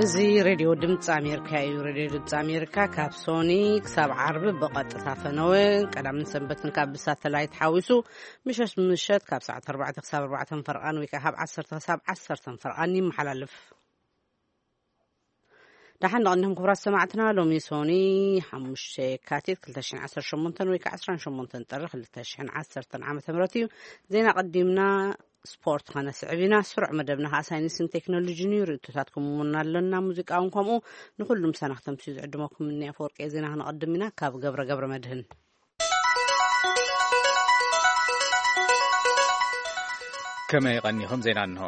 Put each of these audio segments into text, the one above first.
እዚ ሬድዮ ድምፂ ኣሜሪካ እዩ። ሬድዮ ድምፂ ኣሜሪካ ካብ ሶኒ ክሳብ ዓርቢ ብቐጥታ ፈነወ፣ ቀዳምን ሰንበትን ካብ ብሳተላይት ሓዊሱ ምሸት ምሸት ካብ ሰዓት ኣርባዕተ ክሳብ ኣርባዕተ ፈርቓን ወይ ከዓ ካብ ዓሰርተ ክሳብ ዓሰርተ ፈርቓን ይመሓላለፍ። ደሓን ንቐንድኹም ክቡራት ሰማዕትና። ሎሚ ሶኒ ሓሙሽተ የካቲት ክልተ ሽሕን ዓሰርተ ሸሞንተን ወይ ከዓ ዕስራን ሸሞንተን ጥሪ ክልተ ሽሕን ዓሰርተን ዓመተ ምህረት እዩ። ዜና ቀዲምና ስፖርት ከነስዕብ ኢና። ስሩዕ መደብና ከዓ ሳይንስን ቴክኖሎጂን እዩ። ርእቶታትኩም እውን ኣለና። ሙዚቃ እውን ከምኡ። ንኹሉም ሰናኽተምሲ ዝዕድመኩም እኒ ኣፈወርቂ ዜና ክነቐድም ኢና። ካብ ገብረ ገብረ መድህን። ከመይ ቀኒኹም? ዜና እንሆ።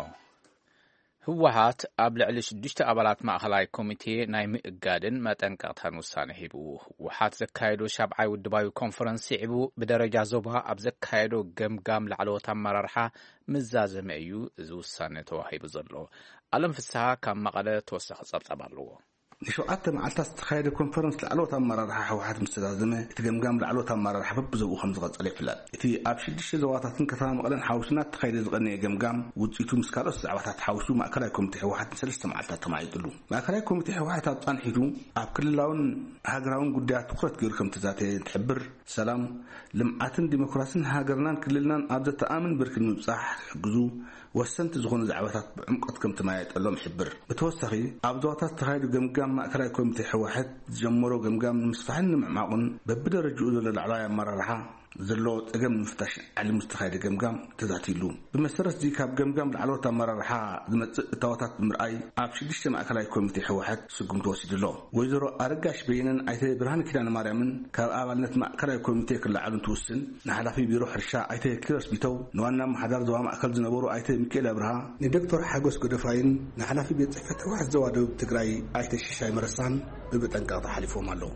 ህወሓት ኣብ ልዕሊ ሽዱሽተ ኣባላት ማእኸላይ ኮሚቴ ናይ ምእጋድን መጠንቀቕታን ውሳነ ሂቡ። ህወሓት ዘካየዶ ሻብዓይ ውድባዊ ኮንፈረንስ ስዒቡ ብደረጃ ዞባ ኣብ ዘካየዶ ገምጋም ላዕለዎት ኣመራርሓ ምዛዘመ እዩ እዚ ውሳነ ተዋሂቡ ዘሎ። ኣለም ፍስሃ ካብ መቐለ ተወሳኺ ጸብጻብ ኣለዎ። ንሸውዓተ መዓልታት ዝተኻየደ ኮንፈረንስ ላዕለዎት ኣመራርሓ ህወሓት ምስ ተዛዘመ፣ እቲ ገምጋም ላዕለዎት ኣመራርሓ በብዞብኡ ከም ዝቐጸለ ይፍለጥ። እቲ ኣብ ሽዱሽተ ዞባታትን ከተማ መቐለን ሓዊሱ እናተኻየደ ዝቐነየ ገምጋም ውፅኢቱ ምስ ካልኦት ዛዕባታት ሓዊሱ ማእከላይ ኮሚቴ ህወሓት ንሰለስተ መዓልታት ተማዒጥሉ። ማእከላይ ኮሚቴ ህወሓት ኣብ ፃንሒቱ ኣብ ክልላውን ሃገራውን ጉዳያት ትኹረት ገይሩ ከም ተዛተየ እንትሕብር፣ ሰላም፣ ልምዓትን ዲሞክራስን ሃገርናን ክልልናን ኣብ ዘተኣምን ብርኪ ንምብፃሕ ክሕግዙ ወሰንቲ ዝኾኑ ዛዕባታት ብዕምቆት ከም ተመያየጠሎም ይሕብር። ብተወሳኺ፣ ኣብ ዞባታት ዝተኻየዱ ገምጋም ማእከላይ ኮሚቴ ህወሓት ዝጀመሮ ገምጋም ንምስፋሕን ንምዕማቑን በብደረጅኡ ዘሎ ላዕለዋይ ኣመራርሓ ዘለዎ ጸገም ንምፍታሽ ዓሊሙ ዝተኻየደ ገምጋም ተዛትይሉ። ብመሰረት እዚ ካብ ገምጋም ላዕለዎት ኣመራርሓ ዝመጽእ እታወታት ብምርኣይ ኣብ ሽዱሽተ ማእከላይ ኮሚቴ ህወሓት ስጉምቲ ወሲዱ ኣሎ። ወይዘሮ ኣረጋሽ በየነን ኣይተ ብርሃን ኪዳነ ማርያምን ካብ ኣባልነት ማእከላይ ኮሚቴ ክለዓሉ እንትውስን፣ ንሓላፊ ቢሮ ሕርሻ ኣይተ ኪሮስ ቢተው፣ ንዋና ኣመሓዳር ዞባ ማእከል ዝነበሩ ኣይተ ሚካኤል ኣብርሃ፣ ንዶክተር ሓጎስ ጎደፋይን ንሓላፊ ቤት ጽሕፈት ህወሓት ዞባ ደቡብ ትግራይ ኣይተ ሽሻይ መረሳን ብመጠንቀቕታ ሓሊፎም ኣለዉ።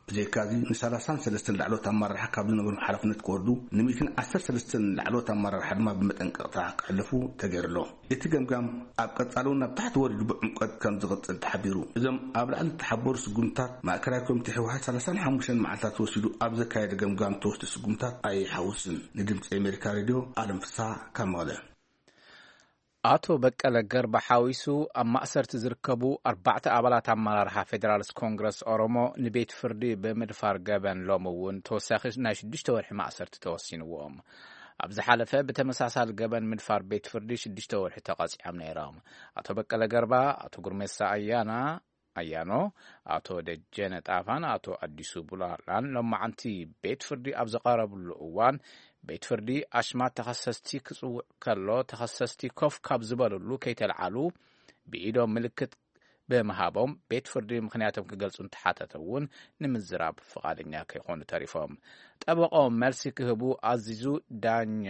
ብዘይካዚ ንሰላሳን ሰለስተን ላዕለዎት ኣመራርሓ ካብ ዝነበሩ ሓላፍነት ክወርዱ፣ ንሚእትን ዓሰርተ ሰለስተን ላዕለዎት ኣመራርሓ ድማ ብመጠንቀቕታ ክሕለፉ ተገይሩ ኣሎ። እቲ ገምጋም ኣብ ቀጻሊ እውን ናብ ታሕቲ ወሪዱ ብዕምቆት ከም ዝቕጽል ተሓቢሩ። እዞም ኣብ ላዕሊ ዝተሓበሩ ስጉምትታት ማእከላይ ኮሚቴ ህወሓት ሰላሳን ሓሙሽተን መዓልታት ወሲዱ ኣብ ዘካየደ ገምጋም ተወስዱ ስጉምትታት ኣይሓውስን። ንድምፂ ኣሜሪካ ሬድዮ ኣለም ፍስሃ ካብ መቐለ። ኣቶ በቀለ ገርባ ሓዊሱ ኣብ ማእሰርቲ ዝርከቡ ኣርባዕተ ኣባላት ኣመራርሓ ፌዴራልስ ኮንግረስ ኦሮሞ ንቤት ፍርዲ ብምድፋር ገበን ሎሚ እውን ተወሳኺ ናይ ሽዱሽተ ወርሒ ማእሰርቲ ተወሲንዎም። ኣብ ዝሓለፈ ብተመሳሳሊ ገበን ምድፋር ቤት ፍርዲ ሽዱሽተ ወርሒ ተቐጺዖም ነይሮም። ኣቶ በቀለ ገርባ፣ ኣቶ ጉርሜሳ ኣያና ኣያኖ፣ ኣቶ ደጀነ ጣፋን ኣቶ ኣዲሱ ቡላላን ሎማዓንቲ ቤት ፍርዲ ኣብ ዝቐረብሉ እዋን፣ ቤት ፍርዲ ኣሽማት ተኸሰስቲ ክጽውዕ ከሎ፣ ተኸሰስቲ ኮፍ ካብ ዝበልሉ ከይተልዓሉ ብኢዶም ምልክት ብምሃቦም ቤት ፍርዲ ምኽንያቶም ክገልጹ እንተሓተተ እውን ንምዝራብ ፍቓደኛ ከይኾኑ ተሪፎም። ጠበቆም መልሲ ክህቡ ኣዚዙ ዳኛ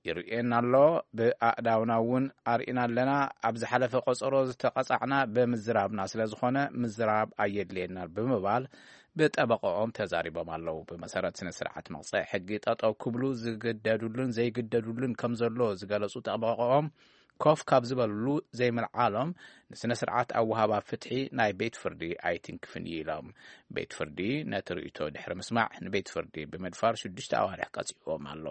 ይርእየና ኣሎ። ብኣእዳውና እውን ኣርኢና ኣለና። ኣብ ዝሓለፈ ቆጸሮ ዝተቐጻዕና ብምዝራብና ስለ ዝኾነ ምዝራብ ኣየድልየናን ብምባል ብጠበቆኦም ተዛሪቦም ኣለዉ። ብመሰረት ስነ ስርዓት መቕጽዒ ሕጊ ጠጠው ክብሉ ዝግደዱሉን ዘይግደዱሉን ከም ዘሎ ዝገለጹ ጠበቆኦም ኮፍ ካብ ዝበልሉ ዘይምልዓሎም ንስነ ስርዓት ኣወሃባ ፍትሒ ናይ ቤት ፍርዲ ኣይትንክፍን እዩ ኢሎም። ቤት ፍርዲ ነቲ ርእይቶ ድሕሪ ምስማዕ ንቤት ፍርዲ ብምድፋር ሽዱሽተ ኣዋርሕ ቀጺዕዎም ኣሎ።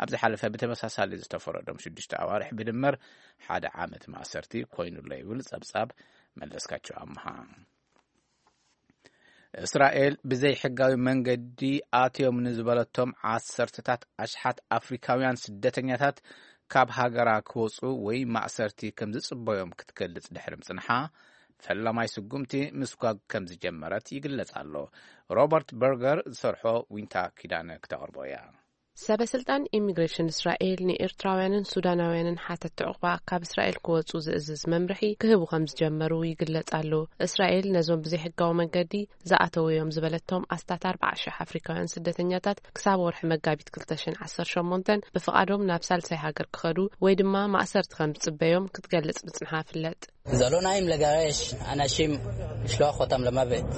ኣብ ዝሓለፈ ብተመሳሳሊ ዝተፈረዶም ሽዱሽተ ኣዋርሕ ብድምር ሓደ ዓመት ማእሰርቲ ኮይኑሎ ይብል ጸብጻብ መለስካቸው ኣምሃ። እስራኤል ብዘይሕጋዊ መንገዲ ኣትዮም ንዝበለቶም ዓሰርተታት ኣሽሓት ኣፍሪካውያን ስደተኛታት ካብ ሃገራ ክወፁ ወይ ማእሰርቲ ከም ዝፅበዮም ክትገልፅ ድሕሪ ምፅንሓ፣ ፈላማይ ስጉምቲ ምስጓግ ከም ዝጀመረት ይግለጽ ኣሎ። ሮበርት በርገር ዝሰርሖ ዊንታ ኪዳነ ክተቕርቦ እያ። ሰበ ስልጣን ኢሚግሬሽን እስራኤል ንኤርትራውያንን ሱዳናውያንን ሓተት ዕቑባ ካብ እስራኤል ክወጹ ዝእዝዝ መምርሒ ክህቡ ከም ዝጀመሩ ይግለጽ ኣሎ። እስራኤል ነዞም ብዘይሕጋዊ መንገዲ ዝኣተዉ እዮም ዝበለቶም ኣስታት ኣርባዓ ሽሕ ኣፍሪካውያን ስደተኛታት ክሳብ ወርሒ መጋቢት ክልተ ሽሕን ዓሰርተ ሸሞንተን ብፍቓዶም ናብ ሳልሳይ ሃገር ክኸዱ ወይ ድማ ማእሰርቲ ከም ዝጽበዮም ክትገልጽ ምጽንሓ ይፍለጥ። זሎ ናይም ለጋሬሽ ኣናሺም ሽለዋኾታም ለማቤት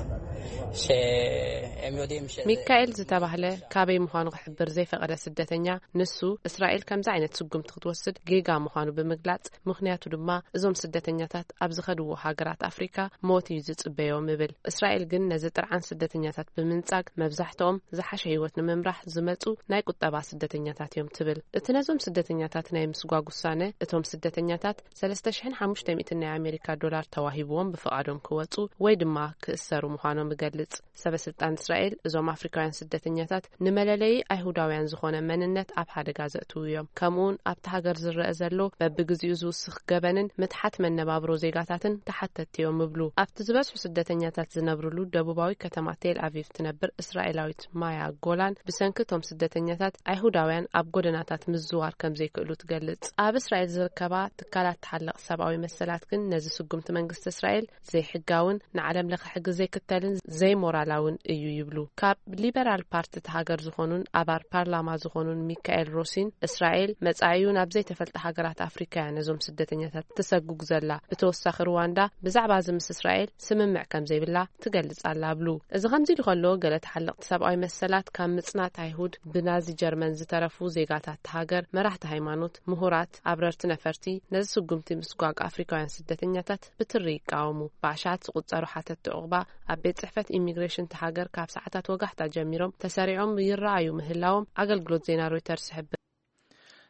ሚካኤል ዝተባህለ ካበይ ምዃኑ ክሕብር ዘይፈቐደ ስደተኛ፣ ንሱ እስራኤል ከምዚ ዓይነት ስጉምቲ ክትወስድ ጌጋ ምዃኑ ብምግላጽ፣ ምኽንያቱ ድማ እዞም ስደተኛታት ኣብ ዝኸድዎ ሃገራት ኣፍሪካ ሞት እዩ ዝጽበዮም ይብል። እስራኤል ግን ነዚ ጥርዓን ስደተኛታት ብምንጻግ፣ መብዛሕትኦም ዝሓሸ ህይወት ንምምራሕ ዝመጹ ናይ ቁጠባ ስደተኛታት እዮም ትብል። እቲ ነዞም ስደተኛታት ናይ ምስጓግ ውሳነ፣ እቶም ስደተኛታት ሰለስተ ሽሕን ሓሙሽተ ሚእትን ናይ ኣሜሪካ ዶላር ተዋሂብዎም ብፍቓዶም ክወጹ ወይ ድማ ክእሰሩ ምዃኖም ይገልጽ። ሰበ ስልጣን እስራኤል እዞም ኣፍሪካውያን ስደተኛታት ንመለለዪ ኣይሁዳውያን ዝኾነ መንነት ኣብ ሓደጋ ዘእትዉ እዮም። ከምኡውን ኣብቲ ሃገር ዝረአ ዘሎ በብግዚኡ ዝውስኽ ገበንን ምትሓት መነባብሮ ዜጋታትን ተሓተትቲ እዮም ይብሉ። ኣብቲ ዝበዝሑ ስደተኛታት ዝነብርሉ ደቡባዊ ከተማ ቴል ኣቪቭ ትነብር እስራኤላዊት ማያ ጎላን፣ ብሰንኪ እቶም ስደተኛታት ኣይሁዳውያን ኣብ ጎደናታት ምዝዋር ከም ዘይክእሉ ትገልጽ። ኣብ እስራኤል ዝርከባ ትካላት ተሓለቕ ሰብኣዊ መሰላት ግን ነዚ ስጉምቲ መንግስቲ እስራኤል ዘይሕጋውን ንዓለም ለኸ ሕጊ ዘይክተልን ዘይሞራላውን እዩ ይብሉ። ካብ ሊበራል ፓርቲ እቲ ሃገር ዝኾኑን ኣባል ፓርላማ ዝኾኑን ሚካኤል ሮሲን፣ እስራኤል መጻኢኡ ናብ ዘይተፈልጠ ሃገራት ኣፍሪካ እያ ነዞም ስደተኛታት ትሰጉግ ዘላ። ብተወሳኺ ሩዋንዳ ብዛዕባ እዚ ምስ እስራኤል ስምምዕ ከም ዘይብላ ትገልጽ ኣላ ብሉ። እዚ ከምዚ ኢሉ ከሎ፣ ገለ ተሓለቕቲ ሰብኣዊ መሰላት ካብ ምጽናት ኣይሁድ፣ ብናዚ ጀርመን ዝተረፉ ዜጋታት ሃገር፣ መራሕቲ ሃይማኖት፣ ምሁራት፣ ኣብረርቲ ነፈርቲ፣ ነዚ ስጉምቲ ምስጓግ ኣፍሪካውያን ስደተኛታት ብትሪ ይቃወሙ። ብኣሽሓት ዝቑጸሩ ሓተትቲ ዑቕባ ኣብ ቤት ጽሕፈት ኢሚግሬሽን እቲ ሃገር ካብ ሰዓታት ወጋሕታ ጀሚሮም ተሰሪዖም ይረኣዩ ምህላዎም ኣገልግሎት ዜና ሮይተርስ ይሕብር።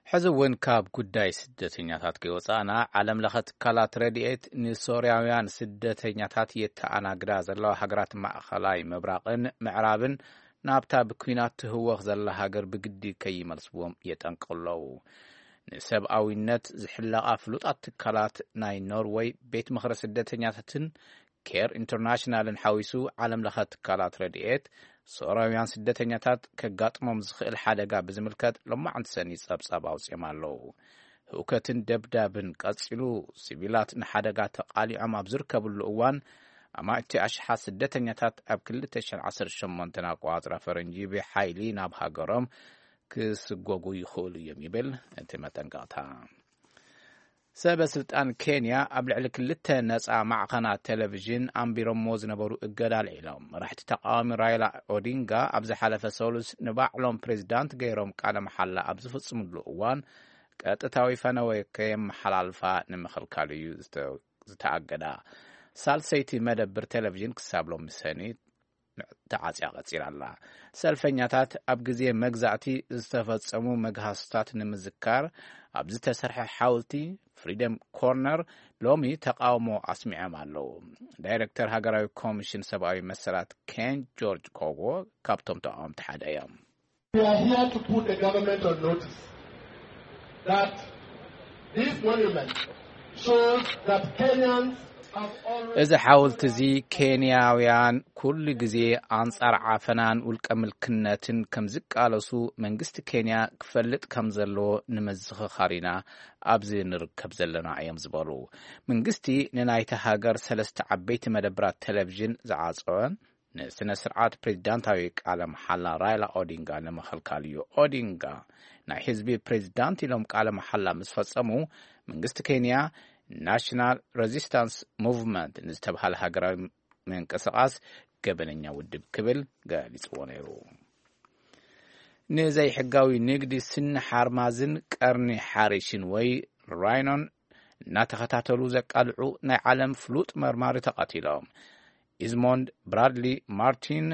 ሕዚ እውን ካብ ጉዳይ ስደተኛታት ከይወፃእና፣ ዓለም ለኸ ትካላት ረድኤት ንሶርያውያን ስደተኛታት የተኣናግዳ ዘለዋ ሃገራት ማእኸላይ ምብራቕን ምዕራብን ናብታ ብኲናት ትህወኽ ዘላ ሃገር ብግዲ ከይመልስዎም የጠንቅቑ ኣለዉ። ንሰብኣዊነት ዝሕለቓ ፍሉጣት ትካላት ናይ ኖርወይ ቤት ምኽሪ ስደተኛታትን ኬር ኢንተርናሽናልን ሓዊሱ፣ ዓለም ለኸ ትካላት ረድኤት ሶርያውያን ስደተኛታት ከጋጥሞም ዝኽእል ሓደጋ ብዝምልከት ሎማዕንቲ ሰኒ ጸብጻብ ኣውጺኦም ኣለዉ። ህውከትን ደብዳብን ቀጺሉ፣ ሲቪላት ንሓደጋ ተቓሊዖም ኣብ ዝርከብሉ እዋን፣ ኣማእቲ ኣሽሓት ስደተኛታት ኣብ ክልተ ሽሕን ዓሰርተ ሸሞንተን ኣቆጻጽራ ፈረንጂ ብሓይሊ ናብ ሃገሮም ክስጎጉ ይኽእሉ እዮም ይብል እቲ መጠንቀቕታ። ሰበ ስልጣን ኬንያ ኣብ ልዕሊ ክልተ ነጻ ማዕኸናት ቴሌቪዥን ኣንቢሮሞ ዝነበሩ እገዳ ኣልዒሎም። መራሕቲ ተቃዋሚ ራይላ ኦዲንጋ ኣብ ዝሓለፈ ሰሉስ ንባዕሎም ፕሬዚዳንት ገይሮም ቃለ መሓላ ኣብ ዝፍጽምሉ እዋን፣ ቀጥታዊ ፈነወ ከየመሓላልፋ ንምኽልካል እዩ ዝተ-፣ ዝተኣገዳ። ሳልሰይቲ መደብር ቴሌቪዥን ክሳብ ሎሚ ሰኒ ተዓጽያ ቀጺላ ኣላ። ሰልፈኛታት ኣብ ግዜ መግዛእቲ ዝተፈጸሙ መግሃስታት ንምዝካር ኣብ ዝተሰርሐ ሓውልቲ ፍሪደም ኮርነር ሎሚ ተቃውሞ ኣስሚዖም ኣለዉ። ዳይረክተር ሃገራዊ ኮሚሽን ሰብኣዊ መሰላት ኬን ጆርጅ ኮጎ ካብቶም ተቃወምቲ ሓደ እዮም። We are here to put the government on notice that this monument shows that Kenyans have always እዚ ሓውልቲ እዚ ኬንያውያን ኩሉ ግዜ ኣንጻር ዓፈናን ውልቀ ምልክነትን ከም ዝቃለሱ መንግስቲ ኬንያ ክፈልጥ ከም ዘለዎ ንምዝኽኻር ኢና ኣብዚ ንርከብ ዘለና እዮም ዝበሉ። መንግስቲ ንናይታ ሃገር ሰለስተ ዓበይቲ መደብራት ቴሌቪዥን ዝዓጸወን ንስነ ስርዓት ፕሬዚዳንታዊ ቃለ መሓላ ራይላ ኦዲንጋ ንምኽልካል እዩ። ኦዲንጋ ናይ ህዝቢ ፕሬዚዳንት ኢሎም ቃለ መሓላ ምስ ፈጸሙ፣ መንግስቲ ኬንያ ናሽናል ሬዚስታንስ ሙቭመንት ንዝተብሃለ ሃገራዊ ምንቅስቓስ ገበነኛ ውድብ ክብል ገሊጽዎ ነይሩ። ንዘይሕጋዊ ንግዲ ስኒ ሓርማዝን ቀርኒ ሓሪሽን ወይ ራይኖን እናተኸታተሉ ዘቃልዑ ናይ ዓለም ፍሉጥ መርማሪ ተቐቲሎም። ኢዝሞንድ ብራድሊ ማርቲን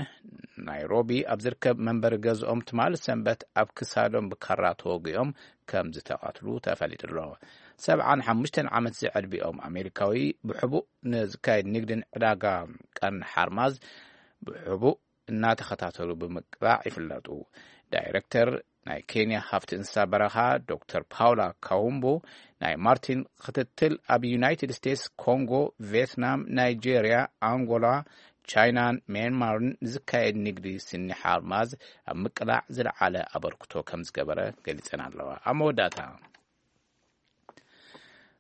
ናይሮቢ ኣብ ዝርከብ መንበሪ ገዝኦም ትማሊ ሰንበት ኣብ ክሳዶም ብካራ ተወጊኦም ከም ዝተቐትሉ ተፈሊጡ ኣሎ። ሰብዓን ሓሙሽተን ዓመት ዝዕድሚኦም ኣሜሪካዊ ብሕቡእ ንዝካየድ ንግድን ዕዳጋ ቀርኒ ሓርማዝ ብሕቡእ እናተኸታተሉ ብምቅላዕ ይፍለጡ። ዳይረክተር ናይ ኬንያ ሃፍቲ እንስሳ በረኻ ዶክተር ፓውላ ካውምቦ ናይ ማርቲን ክትትል ኣብ ዩናይትድ ስቴትስ፣ ኮንጎ፣ ቪየትናም፣ ናይጄርያ፣ ኣንጎላ፣ ቻይናን ሚያንማርን ንዝካየድ ንግዲ ስኒ ሓርማዝ ኣብ ምቅላዕ ዝለዓለ ኣበርክቶ ከም ዝገበረ ገሊጸን ኣለዋ። ኣብ መወዳእታ፣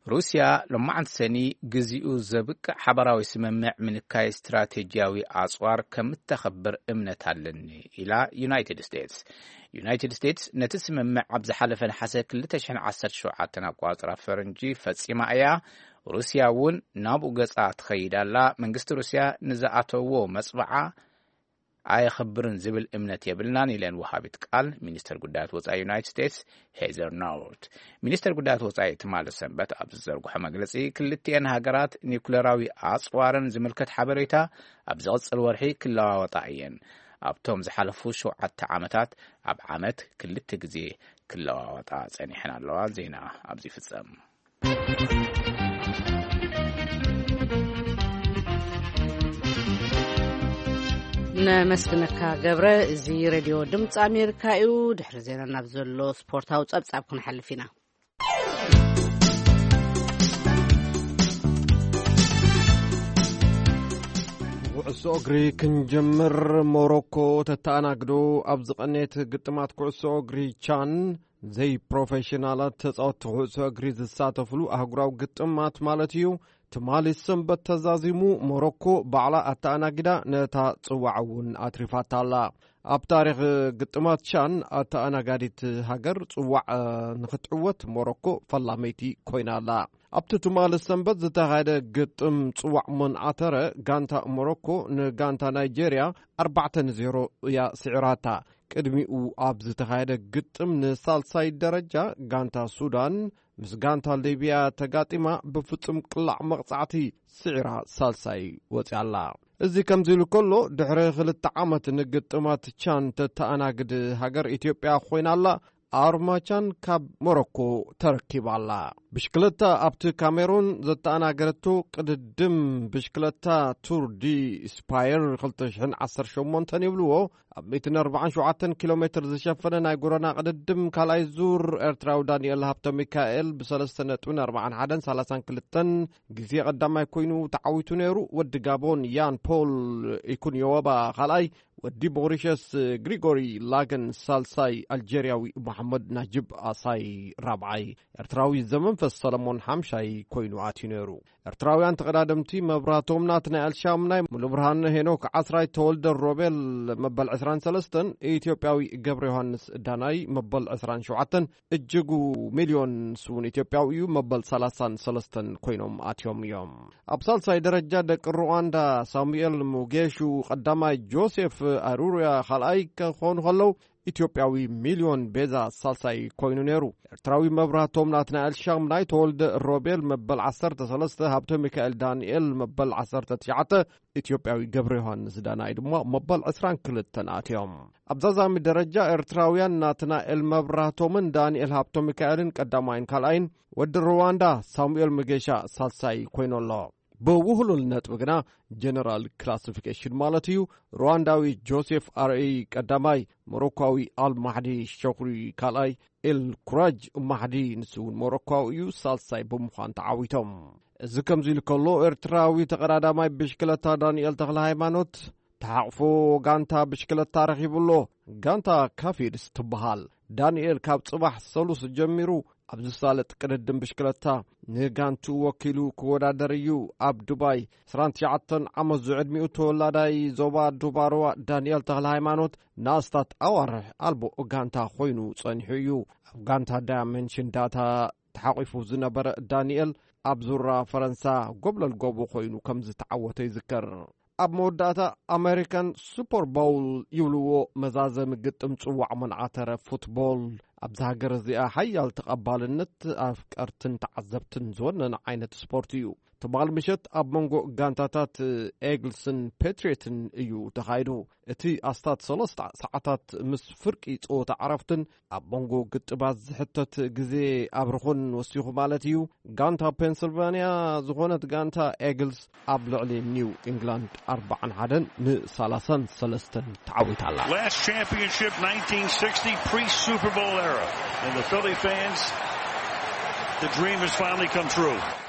ሩስያ ሎማዕንቲ ሰኒ ግዚኡ ዘብቅዕ ሓባራዊ ስምምዕ ምንካይ ስትራቴጂያዊ ኣጽዋር ከም እተኸብር እምነት ኣለኒ ኢላ ዩናይትድ ስቴትስ። ዩናይትድ ስቴትስ ነቲ ስምምዕ ኣብ ዝሓለፈ ነሓሰ ክልተ ሽሕን ዓሰርተ ሸውዓተን ኣቋጽራ ፈረንጂ ፈጺማ እያ። ሩስያ እውን ናብኡ ገጻ ትኸይድ ኣላ። መንግስቲ ሩስያ ንዝኣተዎ መጽብዓ ኣየኽብርን ዝብል እምነት የብልናን ኢለን ወሃቢት ቃል ሚኒስተር ጉዳያት ወጻኢ ዩናይትድ ስቴትስ ሄዘር ናውት። ሚኒስተር ጉዳያት ወጻኢ ትማሊ ሰንበት ኣብ ዝዘርግሖ መግለጺ፣ ክልቲኤን ሃገራት ኒውክለራዊ ኣጽዋርን ዝምልከት ሓበሬታ ኣብ ዝቕጽል ወርሒ ክለዋወጣ እየን። ኣብቶም ዝሓለፉ ሸውዓተ ዓመታት ኣብ ዓመት ክልተ ግዜ ክለዋወጣ ጸኒሐን ኣለዋ። ዜና ኣብዚ ይፍጸም። ነመስግነካ ገብረ። እዚ ሬድዮ ድምፂ ኣሜሪካ እዩ። ድሕሪ ዜና ናብ ዘሎ ስፖርታዊ ጸብጻብ ክንሓልፍ ኢና። ኩዕሶ እግሪ ክንጀምር። ሞሮኮ ተተኣናግዶ ኣብ ዝቐነየት ግጥማት ኩዕሶ እግሪ ቻን ዘይፕሮፌሽናላት ተጻወትቲ ኩዕሶ እግሪ ዝሳተፍሉ ኣህጉራዊ ግጥማት ማለት እዩ። ትማሊ ሰንበት ተዛዚሙ ሞሮኮ ባዕላ ኣተኣናጊዳ ነታ ጽዋዕ እውን ኣትሪፋታ ኣላ። ኣብ ታሪኽ ግጥማት ቻን ኣተኣናጋዲት ሃገር ጽዋዕ ንኽትዕወት ሞሮኮ ፈላመይቲ ኮይና ኣላ። ኣብቲ ትማሊ ሰንበት ዝተኻየደ ግጥም ጽዋዕ መን ኣተረ፣ ጋንታ ሞሮኮ ንጋንታ ናይጄርያ ኣርባዕተ ንዜሮ እያ ስዒራታ። ቅድሚኡ ኣብ ዝተኻየደ ግጥም ንሳልሳይ ደረጃ ጋንታ ሱዳን ምስ ጋንታ ሊብያ ተጋጢማ ብፍጹም ቅላዕ መቕጻዕቲ ስዒራ ሳልሳይ ወጺኣላ። እዚ ከምዚ ኢሉ ከሎ፣ ድሕሪ ክልተ ዓመት ንግጥማት ቻን ተተኣናግድ ሃገር ኢትዮጵያ ኮይና ኣላ። ኣርማቻን ካብ ሞሮኮ ተረኪባ ኣላ። ብሽክለታ ኣብቲ ካሜሩን ዘተኣናገረቶ ቅድድም ብሽክለታ ቱር ዲ ስፓየር ክልተ ሽሕን ዓሰርተ ሸሞንተን ይብልዎ። ኣብ ሚእትን ኣርባዓን ሸውዓተን ኪሎ ሜትር ዝሸፈነ ናይ ጎደና ቅድድም ካልኣይ ዙር ኤርትራዊ ዳንኤል ሃብተ ሚካኤል ብሰለስተ ነጥብን ኣርባዓን ሓደን ሰላሳን ክልተን ግዜ ቀዳማይ ኮይኑ ተዓዊቱ ነይሩ። ወዲ ጋቦን ያን ፖል ኢኩንዮወባ ካልኣይ፣ ወዲ ቦሪሸስ ግሪጎሪ ላገን ሳልሳይ፣ ኣልጀርያዊ መሓመድ ናጅብ ኣሳይ ራብዓይ፣ ኤርትራዊ ዘመንፈስ ሰለሞን ሓምሻይ ኮይኑ ኣትዩ ነይሩ። ኤርትራውያን ተቐዳደምቲ መብራህቶም ናትናኤል ሻምናይ፣ ሙሉብርሃን ሄኖክ ዓስራይ፣ ተወልደ ሮቤል መበል ዕስራን ሰለስተን፣ ኢትዮጵያዊ ገብረ ዮሃንስ ዳናይ መበል ዕስራን ሸውዓተን፣ እጅጉ ሚልዮን ስውን ኢትዮጵያዊ እዩ መበል ሰላሳን ሰለስተን ኮይኖም ኣትዮም እዮም። ኣብ ሳልሳይ ደረጃ ደቂ ሩዋንዳ ሳሙኤል ሙጌሹ ቀዳማይ፣ ጆሴፍ ኣሩሩያ ካልኣይ ክኾኑ ከለዉ፣ ኢትዮጵያዊ ሚልዮን ቤዛ ሳልሳይ ኮይኑ ነይሩ። ኤርትራዊ መብራህቶም ናትናኤል ሻምናይ፣ ተወልደ ሮቤል መበል ዓሰርተ ሰለስተ፣ ሃብተ ሚካኤል ዳንኤል መበል ዓሰርተ ትሽዓተ፣ ኢትዮጵያዊ ገብረ ዮሃንስ ዳናይ ድማ መበል ዕስራን ክልተን ኣትዮም። ኣብ ዛዛሚ ደረጃ ኤርትራውያን ናትናኤል መብራህቶምን ዳንኤል ሃብተ ሚካኤልን ቀዳማይን ካልኣይን፣ ወዲ ሩዋንዳ ሳሙኤል መጌሻ ሳልሳይ ኮይኑ ኣሎ። ብውህሉል ነጥቢ ግና፣ ጀነራል ክላሲፊኬሽን ማለት እዩ፣ ሩዋንዳዊ ጆሴፍ ኣርኢ ቀዳማይ፣ ሞሮኳዊ ኣል ማሕዲ ሸኩሪ ካልኣይ፣ ኤል ኩራጅ ማሕዲ ንሱ እውን ሞሮኳዊ እዩ፣ ሳልሳይ ብምዃን ተዓዊቶም። እዚ ከምዚ ኢሉ ከሎ፣ ኤርትራዊ ተቐዳዳማይ ብሽክለታ ዳንኤል ተኽለ ሃይማኖት ተሓቕፎ ጋንታ ብሽክለታ ረኺቡ ኣሎ። ጋንታ ካፊድስ ትበሃል። ዳንኤል ካብ ጽባሕ ሰሉስ ጀሚሩ ኣብ ዝሳለጥ ቅድድም ብሽክለታ ንጋንቱ ወኪሉ ክወዳደር እዩ። ኣብ ዱባይ ዕስራን ትሽዓተን ዓመት ዝዕድሚኡ ተወላዳይ ዞባ ዱባርዋ ዳንኤል ተኽለ ሃይማኖት ንኣስታት ኣዋርሕ ኣልቦ ጋንታ ኮይኑ ጸኒሑ እዩ። ኣብ ጋንታ ዳያመንሽን ዳታ ተሓቂፉ ዝነበረ ዳንኤል፣ ኣብ ዙራ ፈረንሳ ጎብለል ጎቦ ኮይኑ ከም ዝተዓወተ ይዝከር። ኣብ መወዳእታ፣ ኣሜሪካን ሱፐር ቦውል ይብልዎ፣ መዛዘሚ ግጥም ጽዋዕ መንዓተረ ፉትቦል፣ ኣብዚ ሃገር እዚኣ ሓያል ተቐባልነት ኣፍቀርትን ተዓዘብትን ዝወነነ ዓይነት ስፖርት እዩ። ትማል ምሸት ኣብ መንጎ ጋንታታት ኤግልስን ፔትሪዮትን እዩ ተኻይዱ። እቲ ኣስታት ሰለስተ ሰዓታት ምስ ፍርቂ ጸወታ ዕረፍትን ኣብ መንጎ ግጥባት ዝሕተት ግዜ ኣብርኹን ወሲኹ ማለት እዩ። ጋንታ ፔንስልቫንያ ዝኾነት ጋንታ ኤግልስ ኣብ ልዕሊ ኒው ኢንግላንድ ኣርባዓን ሓደን ንሰላሳን ሰለስተን ተዓዊታ ኣላ። Last championship, nineteen sixty, pre-Super Bowl era. And the Philly fans, the dream has finally come true.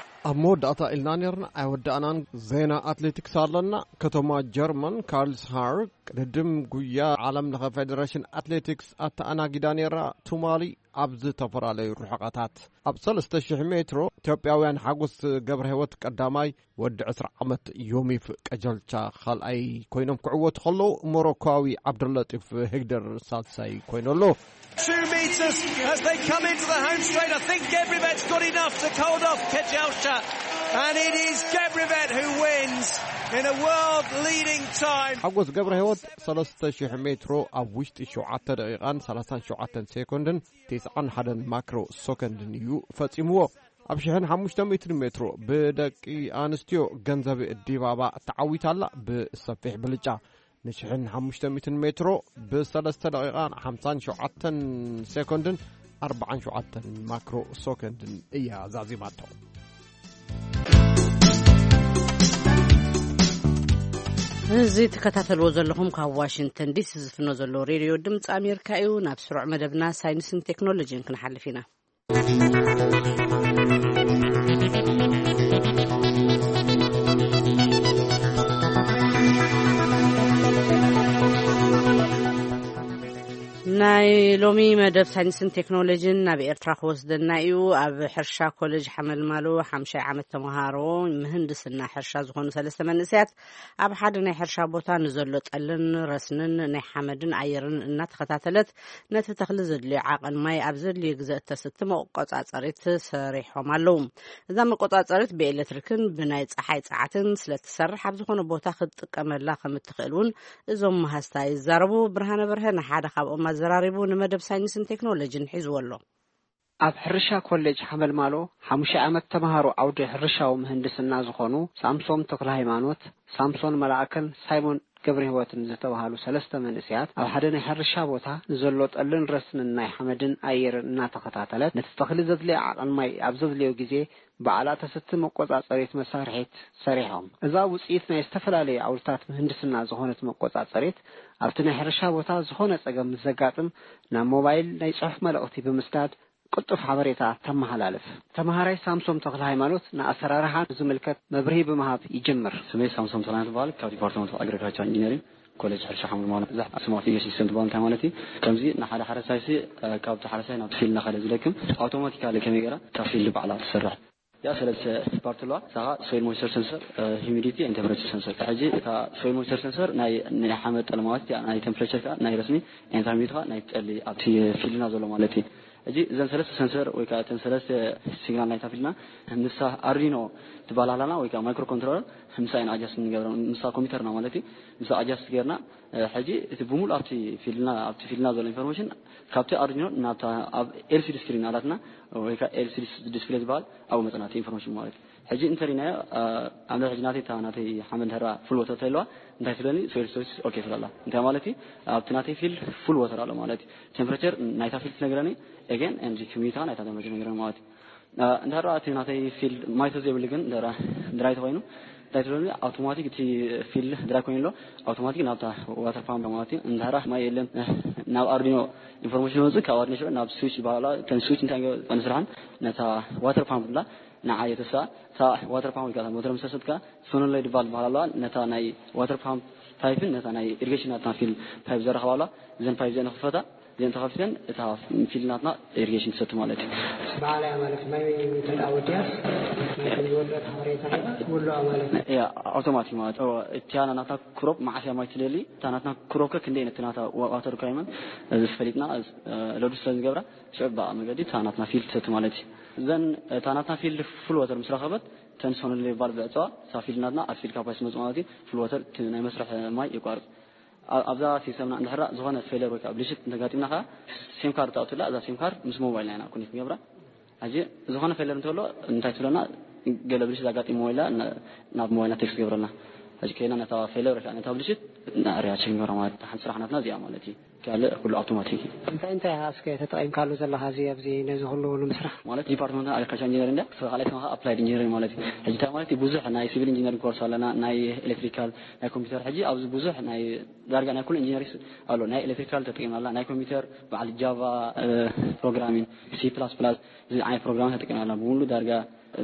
ኣብ መወዳእታ ኢልና ነርና ኣይወዳእናን። ዜና ኣትሌቲክስ ኣለና። ከተማ ጀርመን ካርልስሃር ቅድድም ጉያ ዓለም ለኸ ፌደሬሽን ኣትሌቲክስ ኣተኣናጊዳ ነራ። ትማሊ ኣብ ዝተፈላለዩ ርሕቐታት ኣብ ሰለስተ ሽሕ ሜትሮ ኢትዮጵያውያን ሓጎስ ገብረ ህይወት ቀዳማይ፣ ወዲ ዕስራ ዓመት ዮሚፍ ቀጀልቻ ካልኣይ ኮይኖም ክዕወቱ ከለዉ፣ ሞሮኮዊ ዓብደለጢፍ ህግደር ሳልሳይ ኮይኑ ኣሎ። Two meters as they come into the home straight. I think Gebribet's got enough to hold off Kejelcha. And it is Gebrevette who wins in a world leading time. ሓጎስ ገብረ ህይወት ሰለስተ ሽሕ ሜትሮ ኣብ ውሽጢ ሸውዓተ ደቂቓን ሰላሳን ሸውዓተን ሴኮንድን ተስዓን ሓደን ማክሮ ሰኮንድን እዩ ፈጺምዎ። ኣብ ሽሕን ሓሙሽተ ሚእትን ሜትሮ ብደቂ ኣንስትዮ ገንዘብ ዲባባ ተዓዊታ ኣላ ብሰፊሕ ብልጫ። ንሽሕን ሓሙሽተ ሚእትን ሜትሮ ብሰለስተ ደቂቓን ሓምሳን ሸውዓተን ሴኮንድን ኣርባዓን ሸውዓተን ማክሮ ሰኮንድን እያ ዛዚማቶ። እዚ ትከታተልዎ ዘለኹም ካብ ዋሽንግተን ዲሲ ዝፍኖ ዘሎ ሬድዮ ድምፂ ኣሜሪካ እዩ። ናብ ስሩዕ መደብና ሳይንስን ቴክኖሎጂን ክንሓልፍ ኢና። ናይ ሎሚ መደብ ሳይንስን ቴክኖሎጂን ናብ ኤርትራ ክወስደና እዩ። ኣብ ሕርሻ ኮሌጅ ሓመልማሎ ሓምሻይ ዓመት ተምሃሮ ምህንድስና ሕርሻ ዝኾኑ ሰለስተ መንእሰያት ኣብ ሓደ ናይ ሕርሻ ቦታ ንዘሎ ጠልን ረስንን ናይ ሓመድን ኣየርን እናተኸታተለት ነቲ ተኽሊ ዘድልዮ ዓቐን ማይ ኣብ ዘድልዮ ግዘ እተስቲ መቆጻጸሪት ሰሪሖም ኣለዉ። እዛ መቆጻጸሪት ብኤሌክትሪክን ብናይ ጸሓይ ጸዓትን ስለ ትሰርሕ ኣብ ዝኾነ ቦታ ክትጥቀመላ ከም እትኽእል እውን እዞም መሃዝታ ይዛረቡ። ብርሃነ በርሀ ንሓደ ካብኦም ኣዘራሪቡ ንመደብ ሳይንስን ቴክኖሎጂን ሒዝዎ ኣሎ። ኣብ ሕርሻ ኮሌጅ ሓመልማሎ ሓሙሻይ ዓመት ተምሃሮ ዓውዲ ሕርሻዊ ምህንድስና ዝኾኑ ሳምሶም ተክለ ሃይማኖት፣ ሳምሶን መላእከን ሳይሞን ገብረ ህይወትን ዝተባሃሉ ሰለስተ መንእሰያት ኣብ ሓደ ናይ ሕርሻ ቦታ ንዘሎ ጠልን ረስንን ናይ ሓመድን ኣየርን እናተኸታተለት ነቲ ተኽሊ ዘድልዮ ዓቐን ማይ ኣብ ዘድልዮ ግዜ ባዕላ ተስቲ መቆጻጸሪት መሳርሒት ሰሪሖም። እዛ ውጽኢት ናይ ዝተፈላለዩ ዓውድታት ምህንድስና ዝኾነት መቆጻጸሪት ኣብቲ ናይ ሕርሻ ቦታ ዝኾነ ጸገም ምስ ዘጋጥም ናብ ሞባይል ናይ ጽሑፍ መልእኽቲ ብምስዳድ ቅልጡፍ ሓበሬታ ተመሓላልፍ። ተምሃራይ ሳምሶም ተክለ ሃይማኖት ንኣሰራርሓ ዝምልከት መብርሂ ብምሃብ ይጅምር። ስመይ ሳምሶም ተክለ ሃይማኖት ይበሃል። ካብ ዲፓርትመንት ኦፍ ኣግሪካልቸር ኢንጂነሪንግ ኮሌጅ ሕርሻ ሓምድ ማለት እዛ ስማርት ኢንቨስት ሲስተም ትበሃል እንታይ ማለት እዩ? ከምዚ ንሓደ ሓረስታይ ሲ ካብቲ ሓረስታይ ናብ ፊልድ እናኸደ ዝለክም ኣውቶማቲካሊ ከመይ ገይራ እታ ፊልድ ባዕላ ትሰርሕ? ያ ሰለስተ ፓርት ኣለዋ። እሳ ኸዓ ሶይል ሞይስቸር ሰንሰር፣ ሂሚዲቲ ኤንድ ቴምፕሬቸር ሰንሰር። ሕጂ እታ ሶይል ሞይስቸር ሰንሰር ናይ ናይ ሓመድ ጠሊ ማለት እያ፣ ናይ ቴምፕሬቸር ከዓ ናይ ረስኒ፣ ኤንድ ሂሚዲቲ ከዓ ናይ ጠሊ ኣብቲ ፊልድና ዘሎ ማለት እዩ። ሕጂ እዘን ሰለስተ ሰንሰር ወይ ከዓ እተን ሰለስተ ሲግናል ናይታ ፊልድና ምሳ ኣርዲኖ ትበሃል ኣለና ወይ ከዓ ማይክሮ ኮንትሮለር ምሳ ኢና ኣጃስት ንገብረ፣ ምሳ ኮምፒውተርና ማለት እዩ። ምሳ ኣጃስት ገይርና ሕጂ እቲ ብሙሉ ኣብቲ ፊልድና ኣብቲ ፊልድና ዘሎ ኢንፎርሜሽን ካብቲ ኣርዲኖ ናብታ ኣብ ኤልሲዲ ስክሪን ኣላትና ወይ ከዓ ኤልሲዲ ዲስፕሌይ ዝበሃል ኣብኡ መፅና እቲ ኢንፎርሜሽን ማለት እዩ። ሕጂ እንተሪናዮ ኣብ ሕጂ ናተይ እታ ናተይ ሓመድ እንድሕራ ፉል ወተር ተይለዋ እንታይ ትብለኒ? ሶይል ሶርስ ኦኬ ትብለላ። እንታይ ማለት እዩ? ኣብቲ ናተይ ፊልድ ፉል ወተር ኣሎ ማለት እዩ። ቴምፕሬቸር ናይታ ፊልድ ትነግረኒ ኤገን ኤንድ ሂሚዲቲ ናይታ ቴምፕሬቸር ትነግረኒ ማለት እዩ። እንድሕራ እቲ ናተይ ፊልድ ማይ ተዘይብሉ ግን ድራይ ተኮይኑ እንታይ ትብለኒ? ኣውቶማቲክ እቲ ፊልድ ድራይ ኮይኑ ኣሎ ኣውቶማቲክ ናብታ ዋተር ፓምፕ ማለት እዩ። እንድሕራ ማይ የለን ናብ ኣርዲኖ ኢንፎርሜሽን ወፅእ ካብ ኣርዲኖ ሽዑ ናብ ስዊች ይበሃላ። እተን ስዊች እንታይ ንስርሐን ነታ ዋተር ፓምፕ ብላ ንዓ የተሳ እታ ዋተር ፓምፕ ወይ ከዓ ሞተር ምሰሰትካ ሶኖሎይድ ቫልቭ በሃል ኣለዋ። ነታ ናይ ዋተር ፓምፕ ፓይፕን ነታ ናይ ኢሪጌሽን ናትና ፊልድ ፓይፕ ዘራኽባ ኣለዋ። እዘን ፓይፕ እዚአን ንኽፈታ እዚአን ተኸፊተን እታ ፊልድ ናትና ኢሪጌሽን ትሰቲ ማለት እዩ። በዓል እያ ማለት ማይ ተጣወዲያስ ናይ ከም ዝወደት ሓበሬታ ኩሉ ማለት እዩ። እያ ኣውቶማቲክ ማለት እዎ። እቲያ ናትና ክሮፕ መዓስ እያ ማይ ትደሊ እታ ናትና ክሮፕ ከ ክንደይ ነቲ ናታ ዋተር ሪኳርመንት እዚ ፈሊጥና ሎድ ስለ ዝገብራ ሽዑ ብኣ መገዲ እታ ናትና ፊልድ ትሰቲ ማለት እዩ። ዘን እታ ናትና ፊልድ ፉል ወተር ምስ ረኸበት ተን ሶኖሎይድ ቫልቭ ብዕፀዋ እታ ፊልድ ናትና ኣብ ፊልድ ካፓሲቲ መፅእ ማለት እዩ። ፉል ወተር እቲ ናይ መስርሕ ማይ ይቋርፅ። ኣብዛ ሲስተምና እንድሕራ ዝኾነ ፌለር ወይ ከዓ ብልሽት እንተጋጢምና ከዓ ሴም ካርድ ተኣቱላ እዛ ሴም ካርድ ምስ ሞባይልና ኢና ኮኔክት ንገብራ። ሕጂ ዝኾነ ፌለር እንተሎ እንታይ ትብለና? ገለ ብልሽት ኣጋጢሞ ኢላ ናብ ሞባይልና ቴክስት ገብረልና። ሕጂ ከይና ነታ ፌለር ወይ ከዓ ነታ ብልሽት ንኣርያ ቸክ ንገብራ ማለት ሓንቲ ስራሕ ናትና እዚኣ ማለት እዩ። ካልእ ኩሉ ኣውቶማቲክ እዩ። እንታይ እንታይ ኢኻ እስከ ተጠቒምካሉ ዘለኻ እዚ ኣብዚ ነዚ ኩሉ ንምስራሕ? ማለት ዲፓርትመንትና ኣግሪካልቸር ኢንጂነሪንግ እንዳ ካልኣይ ስማኻ ኣፕላይድ ኢንጂነሪንግ ማለት እዩ። ሕጂ እንታይ ማለት እዩ? ብዙሕ ናይ ሲቪል ኢንጂነሪንግ ኮርስ ኣለና፣ ናይ ኤሌክትሪካል፣ ናይ ኮምፒውተር። ሕጂ ኣብዚ ብዙሕ ናይ ዳርጋ ናይ ኩሉ ኢንጂነሪንግ ኣሎ። ናይ ኤሌክትሪካል ተጠቒምና ኣለና፣ ናይ ኮምፒውተር በዓል ጃቫ ፕሮግራሚንግ፣ ሲ ፕላስ ፕላስ እዚ ዓይነት ፕሮግራም ተጠቒምና ኣለና። ብሙሉ ዳርጋ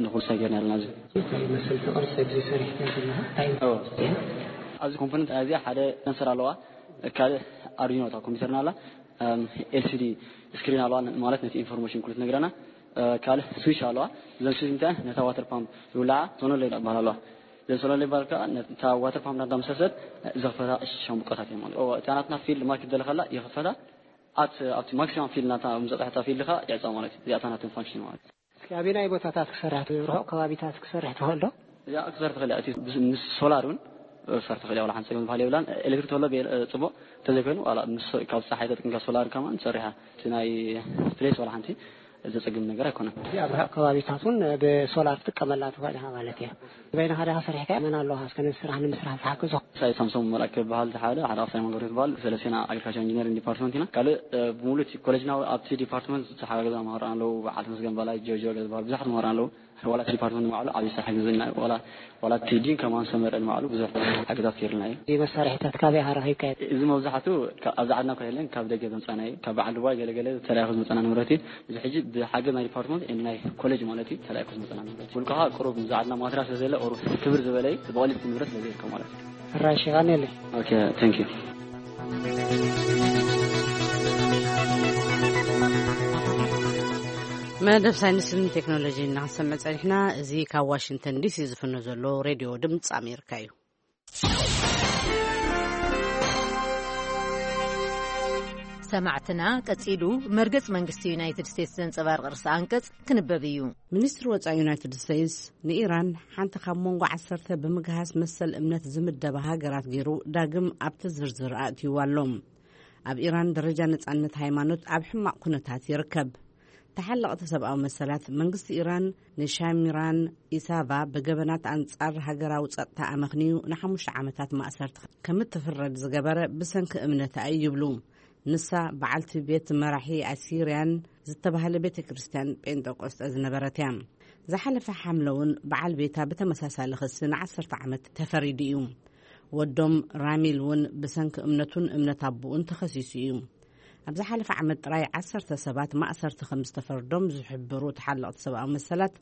ንኹሉ ሳይ ገይርና ኣለና። እዚ እንታይ ይመስል እቲ ቅርፂ እዚ ሰሪሕካ ዘለኻ እንታይ ኣብዚ ኮምፖነንት እዚኣ ሓደ ሰንሰር ኣለዋ። ካልእ ኣርዲኖ እታ ኮምፒውተርና ኣላ። ኤልሲዲ ስክሪን ኣለዋ ማለት ነቲ ኢንፎርሜሽን ኩሉ ትነግረና። ካልእ ስዊች ኣለዋ። እዘን ስዊች እንታይ ነታ ዋተር ፓምፕ ዝውልዓ ሶኖሎይድ ይባሃል ኣለዋ። እዘን ሶኖሎይድ ይባሃል ከዓ ነታ ዋተር ፓምፕ ናዳ መሰሰት ዘኽፈታ ሻምብቆታት እየ ማለት እታ ናትና ፊልድ ማርኬት ዘለካላ ይኽፈታ። ኣብቲ ማክሲማም ፊልድ ናታ ምዘጥሕታ ፊልድ ከዓ ይዕፃ ማለት እዩ። እዚኣታ ናትን ፋንክሽን ማለት እዩ። እስኪ ኣበየናይ ቦታታት ክሰርሕ፣ ርሑቕ ከባቢታት ክሰርሕ ትኽእል ዶ? ያ ክሰርሕ ትኽእል እያ። እቲ ምስ ሶላር እውን ክሰርሕ ትኽእል እያ። ዋላ ሓንቲ ጸገም ዝበሃል የብላን። ኤሌክትሪክ ተሎ ጽቡቕ፣ እንተዘይኮይኑ ዋላ ምስ ካብ ጸሓይ ተጠቂምካ ሶላር ከማን ትሰርሕ እያ። እቲ ናይ ፕሌስ ዋላ ሓንቲ ዘጸግም ነገር ኣይኮነን። እዚ ኣብ ርሑቕ ከባቢታት እውን ብሶላር ትጥቀመላ ትኽእል ኢኻ ማለት እያ። በይንኻ ዲኻ ሰሪሕካ? መን ኣለኻ እስከ ነዚ ስራሕ ንምስራሕ ዝሓግዞ? ሳይ ሳምሶም መልኣክ ክበሃል ዝሓለ ሓደ ኣፍሳይ መንገዱ ዝበሃል ሰለስቴና ኣግሪካልቸር ኢንጂነሪንግ ዲፓርትመንት ኢና። ካልእ ብሙሉ እቲ ኮሌጅና ኣብቲ ዲፓርትመንት ዝተሓጋገዛ መምህራን ኣለዉ። በዓል ተመስገን በላይ፣ ጆርጆ ዝበሃል ብዙሓት መምህራን ኣለዉ። ዋላ እቲ ዲፓርትመንት ንባዕሉ ዓብዪ ስራሕ ግዝና እዩ። ዋላ ዋላ እቲ ዲን ከማን ሰመረ ንባዕሉ ብዙሕ ሓገዛት ገይርልና እዩ። እዚ መሳርሒታት ካበይ ኢኻ ረኺብካዮ? እዚ መብዛሕቱ ካብ- ኣብዚ ዓድና እኳ የለን፣ ካብ ደገ ዘምፃና እዩ። ካብ በዓል ዱባይ ገለገለ ተላኢኹ ዝመፃና ንብረት እዩ። እዚ ሕጂ ብሓገዝ ናይ ዲፓርትመንት ኤንድ ናይ ኮሌጅ ማለት እዩ ተላኢኹ ዝመፃና ንብረት እዩ። ውልቅኻ ቁሩብ እዚ ዓድና ማትርያል ስለ ዘለ ቁሩብ ክብር ዝበለ እዩ። ብቐሊል ንብረት ስለ ዘይርከብ ማለት እዩ። ሕራይ ሽቓን የለይ። ኦኬ፣ ታንክ ዩ። መደብ ሳይንስን ቴክኖሎጂን እናሰምዕ ጸኒሕና። እዚ ካብ ዋሽንግተን ዲሲ ዝፍኖ ዘሎ ሬድዮ ድምፂ ኣሜሪካ እዩ። ሰማዕትና፣ ቀጺሉ መርገጽ መንግስቲ ዩናይትድ ስቴትስ ዘንጸባርቕ ርእሰ ኣንቀጽ ክንበብ እዩ። ሚኒስትሪ ወጻኢ ዩናይትድ ስቴትስ ንኢራን ሓንቲ ካብ መንጎ ዓሰርተ ብምግሃስ መሰል እምነት ዝምደባ ሃገራት ገይሩ ዳግም ኣብቲ ዝርዝር ኣእትይዋ ኣሎ። ኣብ ኢራን ደረጃ ነጻነት ሃይማኖት ኣብ ሕማቕ ኩነታት ይርከብ። ተሓለቕቲ ሰብኣዊ መሰላት መንግስቲ ኢራን ንሻሚራን ኢሳቫ ብገበናት ኣንጻር ሃገራዊ ጸጥታ ኣመኽንዩ ንሓሙሽተ ዓመታት ማእሰርቲ ከምትፍረድ ዝገበረ ብሰንኪ እምነታ እዩ ይብሉ። ንሳ በዓልቲ ቤት መራሒ ኣሲርያን ዝተባህለ ቤተ ክርስቲያን ጴንጠቆስጠ ዝነበረት እያ። ዝሓለፈ ሓምለ እውን በዓል ቤታ ብተመሳሳሊ ክሲ ንዓሰርተ ዓመት ተፈሪዱ እዩ። ወዶም ራሚል እውን ብሰንኪ እምነቱን እምነት ኣቦኡን ተኸሲሱ እዩ። ኣብ ዝሓለፈ ዓመት ጥራይ ዓሰርተ ሰባት ማእሰርቲ ከም ዝተፈርዶም ዝሕብሩ ተሓለቕቲ ሰብኣዊ መሰላት፣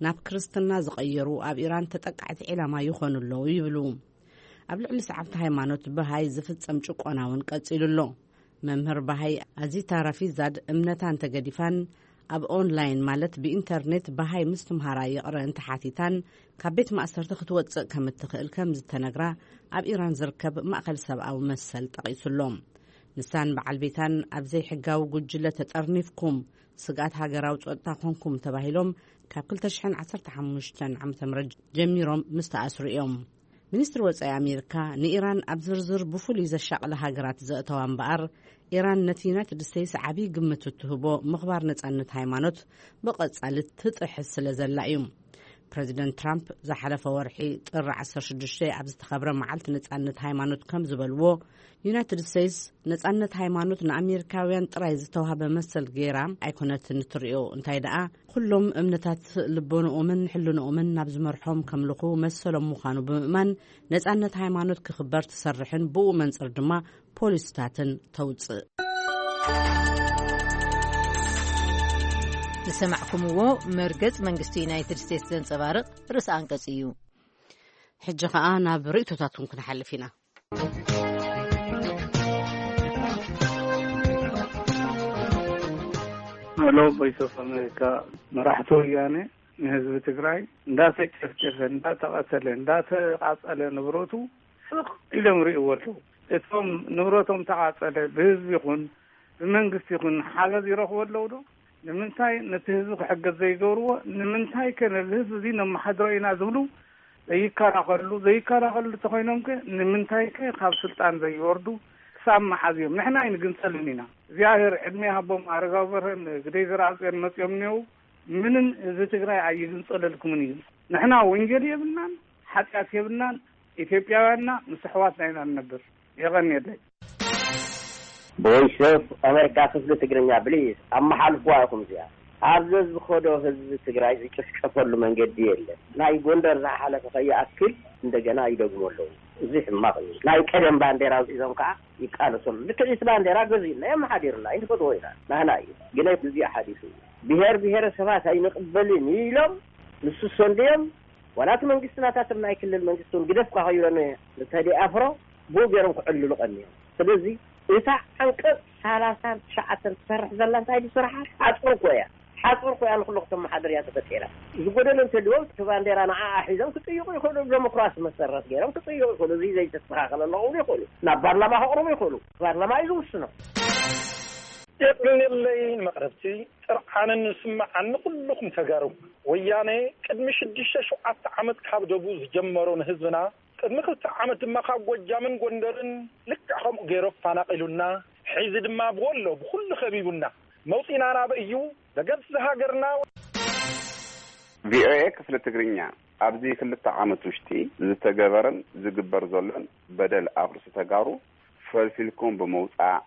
ናብ ክርስትና ዝቐየሩ ኣብ ኢራን ተጠቃዕቲ ዒላማ ይኾኑ ኣለዉ ይብሉ። ኣብ ልዕሊ ሰዓብቲ ሃይማኖት በሃይ ዝፍጸም ጭቆና እውን ቀጺሉ ኣሎ። መምህር በሃይ ኣዚታ ራፊዛድ እምነታ እንተገዲፋን ኣብ ኦንላይን ማለት ብኢንተርኔት በሃይ ምስትምሃራ ይቕረ እንተሓቲታን ካብ ቤት ማእሰርቲ ክትወጽእ ከም እትኽእል ከም ዝተነግራ ኣብ ኢራን ዝርከብ ማእከል ሰብኣዊ መሰል ጠቒሱ ኣሎ። ንሳን በዓል ቤታን ኣብ ዘይሕጋዊ ጉጅለ ተጠርኒፍኩም ስግኣት ሃገራዊ ጸጥታ ኮንኩም ተባሂሎም ካብ ክልተ ሽሕን ዓሰርተ ሓሙሽተን ዓመተ ምህረት ጀሚሮም ምስ ተኣስሩ እዮም። ሚኒስትሪ ወጻኢ ኣሜሪካ ንኢራን ኣብ ዝርዝር ብፍሉይ ዘሻቕላ ሃገራት ዘእተዋ እምበኣር፣ ኢራን ነቲ ዩናይትድ ስቴትስ ዓብዪ ግምት እትህቦ ምኽባር ነጻነት ሃይማኖት ብቐጻሊ ትጥሕስ ስለ ዘላ እዩ። ፕረዚደንት ትራምፕ ዝሓለፈ ወርሒ ጥሪ ዓሰርተ ሽዱሽተ ኣብ ዝተኸብረ መዓልቲ ነጻነት ሃይማኖት ከም ዝበልዎ፣ ዩናይትድ ስቴትስ ነጻነት ሃይማኖት ንኣሜሪካውያን ጥራይ ዝተዋህበ መሰል ገይራ ኣይኮነትን እትርእዮ፣ እንታይ ደኣ ኩሎም እምነታት ልቦንኦምን ሕልንኦምን ናብ ዝመርሖም ከምልኹ መሰሎም ምዃኑ ብምእማን ነጻነት ሃይማኖት ክኽበር ትሰርሕን ብኡ መንጽር ድማ ፖሊስታትን ተውጽእ። ዝሰማዕኩምዎ መርገጽ መንግስቲ ዩናይትድ ስቴትስ ዘንጸባርቕ ርእሰ ኣንቀጽ እዩ። ሕጂ ኸኣ ናብ ርእይቶታትኩም ክንሓልፍ ኢና። ሄሎ፣ ቮይስ ኦፍ ኣሜሪካ። መራሕቲ ወያነ ንህዝቢ ትግራይ እንዳተጨፍጨፈ፣ እንዳተቐተለ፣ እንዳተቓጸለ ንብረቱ ስቕ ኢሎም ይርእይዎ ኣለዉ። እቶም ንብረቶም ተቓጸለ ብህዝቢ ይኹን ብመንግስቲ ይኹን ሓገዝ ይረኽቡ ኣለዉ ዶ? ንምንታይ ነቲ ህዝቢ ክሕገዝ ዘይገብርዎ? ንምንታይ ከ ነዚ ህዝቢ እዚ ነመሓድሮ ኢና ዝብሉ ዘይከላኸሉ? ዘይከላኸሉ እንተኾይኖም ከ ንምንታይ ከ ካብ ስልጣን ዘይወርዱ? ክሳብ መሓዝ እዮም? ንሕና ኣይንግንጸልን ኢና። እግዚኣብሔር ዕድመ ይሃቦም። ኣረጋዊ በርሀን ግደይ ዘርኣጽዮን መጺኦም እኒአው። ምንም ህዝቢ ትግራይ ኣይግንጸለልኩምን እዩ። ንሕና ወንጀል የብልናን፣ ሓጢኣት የብልናን። ኢትዮጵያውያንና ምስ ኣሕዋትና ኢና ንነብር። የቐንየለይ። ቮይስ ኦፍ ኣሜሪካ ክፍሊ ትግርኛ ብሊዝ ኣመሓልፍዋ ኢኹም እዚኣ። ኣብ ዘዝኸዶ ህዝቢ ትግራይ ዝጭፍጨፈሉ መንገዲ የለን። ናይ ጎንደር ዝሓለፈ ከይኣክል እንደገና ይደግሙ ኣለዉ። እዚ ሕማቕ እዩ። ናይ ቀደም ባንዴራ ኣውፂዞም ከዓ ይቃለሰሉ። ልክዕ እቲ ባንዴራ ገዚእና የመሓዲርና ኣይንፈትዎ ኢና። ናህና እዩ። ግን እዚ ሓዲሱ እዩ። ብሄር ብሄረሰባት ኣይንቕበልን ኢሎም ንሱ ሰንድዮም ዋላ እቲ መንግስቲ ናታቶም ናይ ክልል መንግስቲ እውን ግደፍካ ከይብለኒ ንተዲ ኣፍሮ ብኡ ገይሮም ክዕልሉ ቀንዮም። ስለዚ እታ ዓንቀፅ ሰላሳን ትሽዓተን ትሰርሕ ዘላ እንታይ ድስራሓ ሓፁር እኮ እያ። ሓፁር እኮ እያ ንኩሉ ክተመሓድር እያ ተፈጢራ። ዝጎደለ እንተልዎም እቲ ባንዴራ ንዓኣ ሒዞም ክጥይቁ ይኽእሉ። ዲሞክራሲ መሰረት ገይሮም ክጥይቁ ይኽእሉ። እዚ ዘይተስተኻኸለ ኣለኹ ይኽእሉ። ናብ ፓርላማ ከቕርቡ ይኽእሉ። ፓርላማ እዩ ዝውስኖ። የቕንየለይ ንመቕረብቲ ጥርዓ ኣነን ዝስምዓኒ ኩልኹም ተጋሩ፣ ወያነ ቅድሚ ሽዱሽተ ሸውዓተ ዓመት ካብ ደቡ ዝጀመሮ ንህዝብና፣ ቅድሚ ክልተ ዓመት ድማ ካብ ጎጃምን ጎንደርን ልክዕ ከምኡ ገይሩ ኣፈናቒሉና፣ ሕዚ ድማ ብወሎ ብኹሉ ከቢቡና፣ መውፂና ናበይ እዩ? ደገፍ ዝሃገርና። ቪኦኤ ክፍሊ ትግርኛ፣ ኣብዚ ክልተ ዓመት ውሽጢ ዝተገበረን ዝግበር ዘሎን በደል ኣብ ርእሲ ተጋሩ ፈልፊልኩም ብምውጻእ፣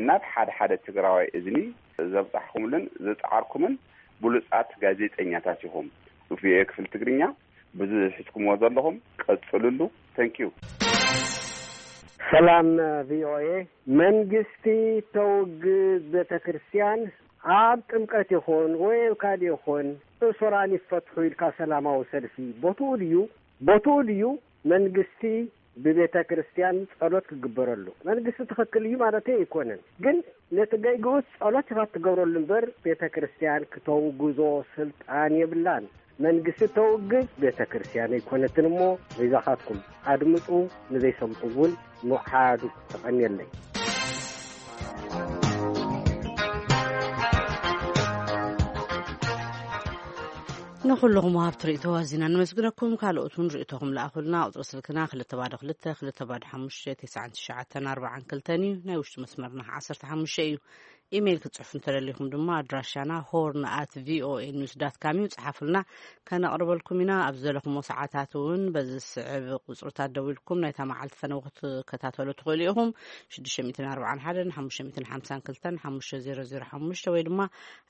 ናብ ሓደ ሓደ ትግራዋይ እዝኒ ዘብጻሕኩምሉን ዝጸዓርኩምን ብሉጻት ጋዜጠኛታት ኢኹም። ቪኦኤ ክፍሊ ትግርኛ፣ ብዙሕ ሒዝኩምዎ ዘለኹም ቀጽሉሉ። ተንኪዩ። ሰላም ቪኦኤ። መንግስቲ ተውግዝ ቤተ ክርስቲያን ኣብ ጥምቀት ይኹን ወይ ኣብ ካልእ ይኹን እሱራን ይፈትሑ ኢልካ ሰላማዊ ሰልፊ ቦትኡ ድዩ? ቦትኡ ድዩ መንግስቲ ብቤተ ክርስቲያን ጸሎት ክግበረሉ? መንግስቲ ትኽክል እዩ ማለተይ ኣይኮነን፣ ግን ነቲ ገይግኡስ ጸሎት ኢኻ ትገብረሉ እምበር ቤተ ክርስቲያን ክተውግዞ ስልጣን የብላን። መንግስቲ ተውግዝ ቤተ ክርስቲያን ኣይኮነትን እሞ በይዛኻትኩም ኣድምጡ፣ ንዘይሰምዑ እውን ምውዓዱ። ተቐንየለይ። ንኹልኹም ወሃብቲ ርእይቶ ኣዚና ነመስግነኩም። ካልኦት እውን ርእይቶኹም ለኣኹልና። ቁጽሪ ስልክና ክልተ ባዶ ክልተ፣ ክልተ ባዶ ሓሙሽተ፣ ተስዓን ትሽዓተን ኣርባዓን ክልተን እዩ። ናይ ውሽጢ መስመርና ዓሰርተ ሓሙሽተ እዩ። ኢሜይል ክትጽሕፉ እንተደሊኹም ድማ ኣድራሻና ሆርን ኣት ቪኦኤ ኒውስ ዳት ካም እዩ። ጽሓፉልና፣ ከነቕርበልኩም ኢና። ኣብ ዘለኹሞ ሰዓታት እውን በዚ ዝስዕብ ቁጽርታት ደዊልኩም ናይታ መዓልቲ ፈነው ክትከታተሉ ትኽእሉ ኢኹም። ሽዱሽተ ሚእትን ኣርባዓን ሓደን ሓሙሽተ ሚእትን ሓምሳን ክልተን ሓሙሽተ ዜሮ ዜሮ ሓሙሽተ ወይ ድማ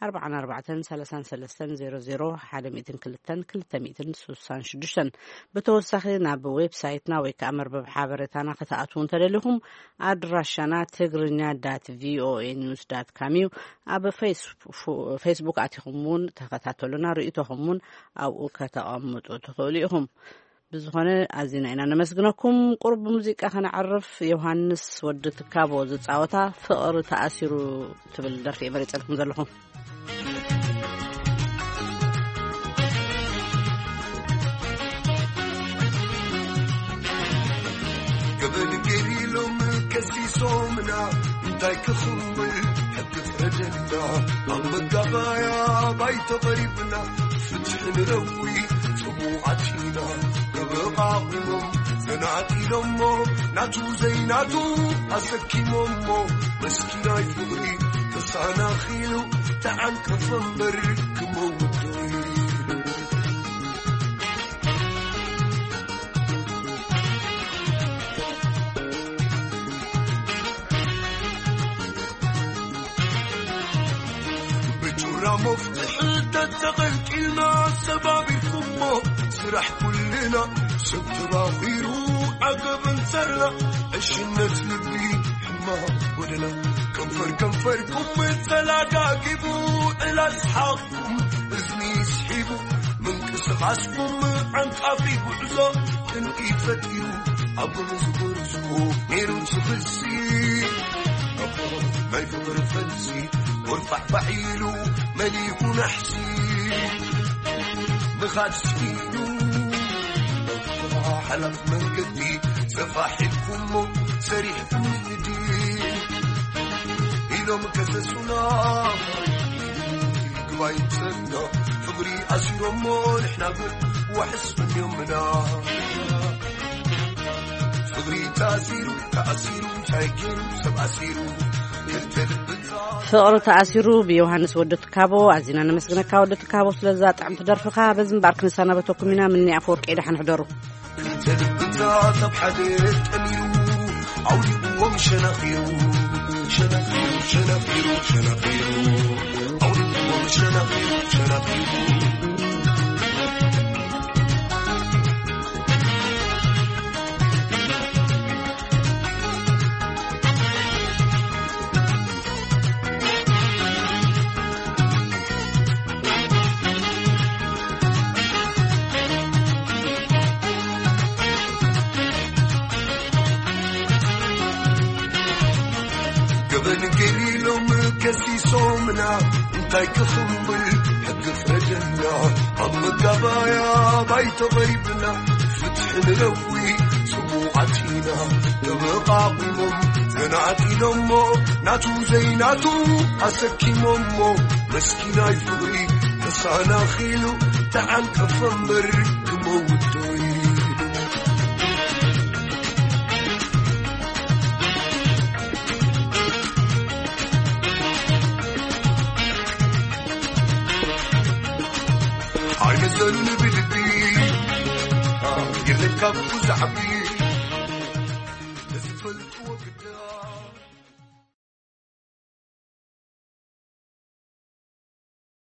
ኣርባዓን ኣርባዕተን ሰላሳን ሰለስተን ዜሮ ዜሮ ሓደ ሚእትን ክልተን ክልተ ሚእትን ስሳን ሽዱሽተን። ብተወሳኺ ናብ ዌብሳይትና ወይ ከዓ መርበብ ሓበሬታና ክትኣትዉ እንተደሊኹም ኣድራሻና ትግርኛ ዳት ቪኦኤ ኒውስ ዳት ካም እዩ። ኣብ ፌስቡ-፣ ፌስቡክ ኣቲኹም እውን ተኸታተሉና፣ ርእይቶኹም እውን ኣብኡ ከተቐምጡ ትኽእሉ ኢኹም። ብዝኾነ ኣዚና ኢና ነመስግነኩም። ቁሩብ ብሙዚቃ ከነዕርፍ። ዮሃንስ ወዲ ትካቦ ዝጻወታ ፍቕሪ ተኣሲሩ ትብል ደርፊ እየ መሪጸልኩም ዘለኹ። ገበን ገይሮም ከሲሶምና እንታይ ክኽምል ሕጊ ፍረደልና። ኣብ መጋባያ ባይቶ ቀሪብና ፍትሒ ንረዊ ጽሙዓት ኢና። ተበቓቒሎም ዘናጢሎሞ ናቱ ዘይናቱ ኣሰኪሞሞ መስኪናይ ፍቕሪ ተሳናኺሉ ተዓንቀፈ እምበር ክመውት ደሊሉ። ብጩራ መፍትሒ ተተቐልቂልና ሰባቢርኩሞ ስራሕ ኩልና ሰብ ተባኺሩ ዓገብ እንተርና ዕሽነት ልቢ ሕማቕ ጎደና ከንፈር ከንፈርኩም ተላጋጊቡ ዕላል ሰሓቕኩም እዝኒ ስሒቡ ምንቅስቓስኩም ዓንቃፊ ጉዕዞ ቅንኢ ፈጢሩ ኣብ ጎኒ ዝጎርዞ ነይሩ ዝኽሲ ናይ ፍቕሪ ፈልሲ ጎርፋሕፋሕ ኢሉ መሊኡ ናሕሲ ምኻድ ስኢኑ ሓላፍ መንገዲ ሰፋሕ ኢልኩሞ ሰሪሕኩም ንግዲ ኢሎም ከሰሱና። ግባይ ሰንዶ ፍቕሪ ኣሲሮሞ ንሕና ግን ዋሕስ ፈንዮምና። ፍቕሪ ተኣሲሩ ተኣሲሩ እንታይ ገይሩ ሰብ ኣሲሩ ክልተ ልብታ ፍቕሪ ተኣሲሩ ብዮሃንስ ወዲ ትካቦ። ኣዚና ነመስግነካ ወዲ ትካቦ ስለዛ ጥዕምቲ ደርፍኻ። በዚ እምበኣር ክንሰናበተኩም ኢና። ምኒ ኣፈወርቂ፣ ደሓን ሕደሩ። ክልተ ልብታት ኣብ ሓደ ጠሚሩ ኣውዲቕዎም ሸነኺሩ፣ ሸነኺሩ፣ ሸነኺሩ፣ ሸነኺሩ፣ ኣውዲቕዎም ሸነኺሩ፣ ሸነኺሩ። ገበን ገሊሎም ከሲሶምና እንታይ ክኽምብል ሕጊ ፍረደና። ኣብ መጋባያ ባይቶ ቀሪብና ፍትሒ ንረዊ ጽቡቓት ኢና። ተበቓቒሞም ዘናጢሎሞ ናቱ ዘይናቱ ኣሰኪሞሞ መስኪናይ ፍቕሪ ተሳናኺሉ ተዓንቀፈ እምበር ክመውት ዶ ኢሉ። ኣይመዘኑን ብልቢ የለን ካብኡ ዝዓቢ